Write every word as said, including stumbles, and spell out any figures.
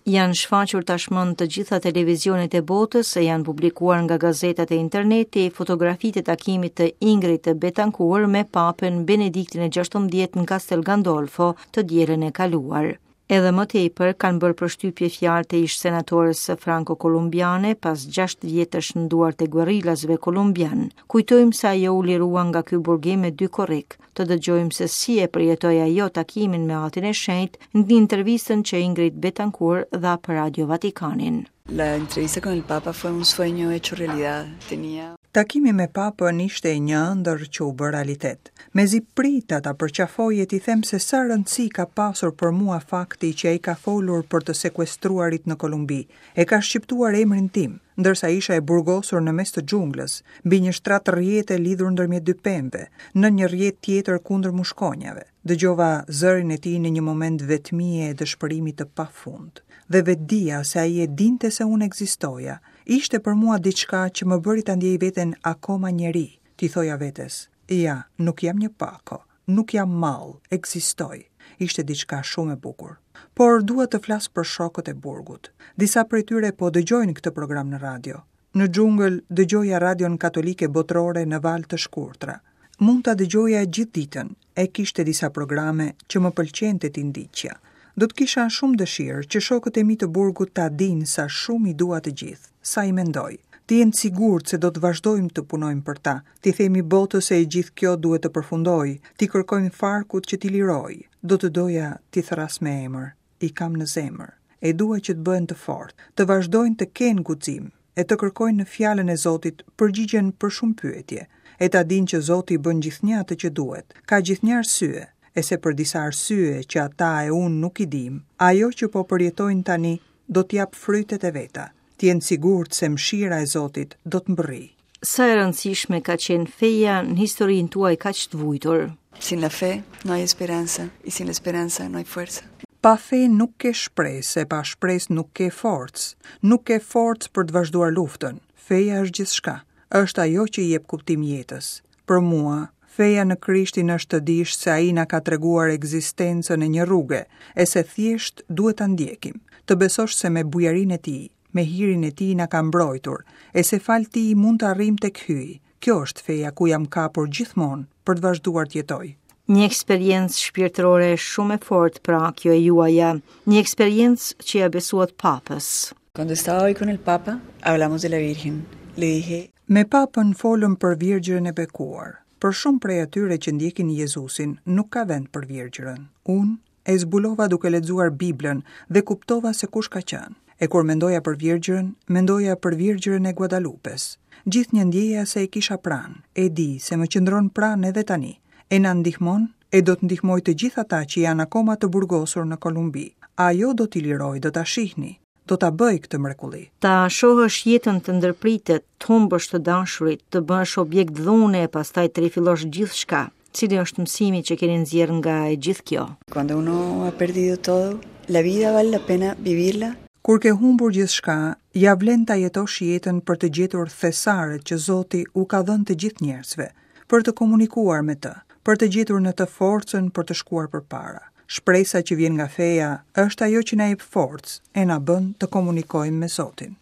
Janë shfaqur tashmë në të gjitha televizionet e botës e janë publikuar nga gazetat e interneti fotografitë e takimit të Ingrid Betancourt me Papën Benediktin e gjashtëmbëdhjetë në Castel Gandolfo të dielën e kaluar. Edhe më tepër kanë bërë përshtypje fjalët e ish senatores franko-kolumbiane pas gjashtë vjetësh në duart e guerrillasve kolumbian. Kujtojmë se ajo u lirua nga ky burgim me dy korrik. Të dëgjojmë se si e përjetoi ajo takimin me Atin e Shenjtë në intervistën që Ingrid Betancourt dha për Radio Vatikanin. La entrevista con el Papa fue un sueño hecho realidad. Tenía Takimi me Papën ishte një ëndërr që u bë realitet. Mezi prita ta përqafoj e t'i them se sa rëndësi ka pasur për mua fakti që ai ka folur për të sekuestruarit në Kolumbi. E ka shqiptuar emrin tim, ndërsa isha e burgosur në mes të xhunglës, mbi një shtrat rrjete lidhur ndërmjet dy pemëve, në një rrjet tjetër kundër mushkonjave. Dëgjova zërin e tij në një moment vetmie e dëshpërimi të pafund. Dhe vetëdija se ai e dinte se unë ekzistoja, ishte për mua diçka që më bëri ta ndjej veten akoma njeri. T'i thoja vetes, ja, nuk jam një pako, nuk jam mall, ekzistoj. Ishte diçka shumë e bukur. Por dua të flas për shokët e burgut. Disa prej tyre po dëgjojnë këtë program në radio. Në xhungël dëgjoja radion katolike botërore në valë të shkurtra. Mund ta dëgjoja gjithë ditën, e kishte disa programe që më pëlqente t'i ndiqja. Do të kisha shumë dëshirë që shokët e mi të burgut ta dinë sa shumë i dua të gjithë, sa i mendoj. Të jenë të sigurt se do të vazhdojmë të punojmë për ta, t'i themi botës se e gjithë kjo duhet të përfundojë, t'i kërkojmë farkut që t'i lirojë. Do të doja t'i thras me emër, i kam në zemër. E dua që të bëhen të fortë, të vazhdojnë të kenë guxim, e të kërkojnë në fjalën e Zotit përgjigjen për shumë pyetje, e ta dinë që Zoti bën gjithnjë atë që duhet, ka gjithnjë arsye, e se për disa arsye që ata e unë nuk i dim, ajo që po përjetojnë tani do t'jap frytet e veta. Të jenë sigurt se mëshira e Zotit do të mbërrijë. Sa e rëndësishme ka qenë feja në historinë tuaj kaq të vujtur? Sin la fe no hay esperanza y sin la esperanza no hay fuerza. Pa fe nuk ke shpresë, e pa shpresë nuk ke forcë. Nuk ke forcë për të vazhduar luftën. Feja është gjithçka. Është ajo që i jep kuptim jetës. Për mua, feja në Krishtin është të dish se ai na ka treguar ekzistencën e një rruge, e se thjesht duhet ta ndjekim. Të besosh se me bujarinë e tij, me hirin e tij na ka mbrojtur, e se fal tij mund të arrijmë tek Hyji. Kjo është feja ku jam kapur gjithmonë për të vazhduar të jetoj. Një eksperiencë shpirtërore shumë e fortë pra kjo e juaja, një eksperiencë që ja besuat Papës. Cuando estaba hoy con el Papa, hablamos de la Virgen. Le dije, Me Papën folëm për Virgjërën e bekuar. Për shumë prej atyre që ndjekin Jezusin, nuk ka vend për Virgjërën. Unë e zbulova duke lexuar Biblën dhe kuptova se kush ka qenë. E kur mendoja për Virgjërën, mendoja për Virgjërën e Guadalupes. Gjithnjë ndjeja se e kisha pranë, e di se më qëndron pranë edhe tani. E na ndihmon, e do të ndihmoj të gjithë ata që janë akoma të burgosur në Kolumbi. Ajo do t'i liroj, do ta shihni, do ta bëj këtë mrekulli. Ta shohësh jetën të ndërpritet, të humbësh të dashurit, të bësh objekt dhune e pastaj të rifillosh gjithçka. Cili është mësimi që keni nxjerrë nga e gjithë kjo? Cuando uno ha perdido todo, la vida vale la pena vivirla. Kur ke humbur gjithçka, ja vlen ta jetosh jetën për të gjetur thesaret që Zoti u ka dhënë të gjithë njerëzve, për të komunikuar me të, për të gjetur në të forcën për të shkuar përpara. Shpresa që vjen nga feja është ajo që na jep forcë e na bën të komunikojmë me Zotin.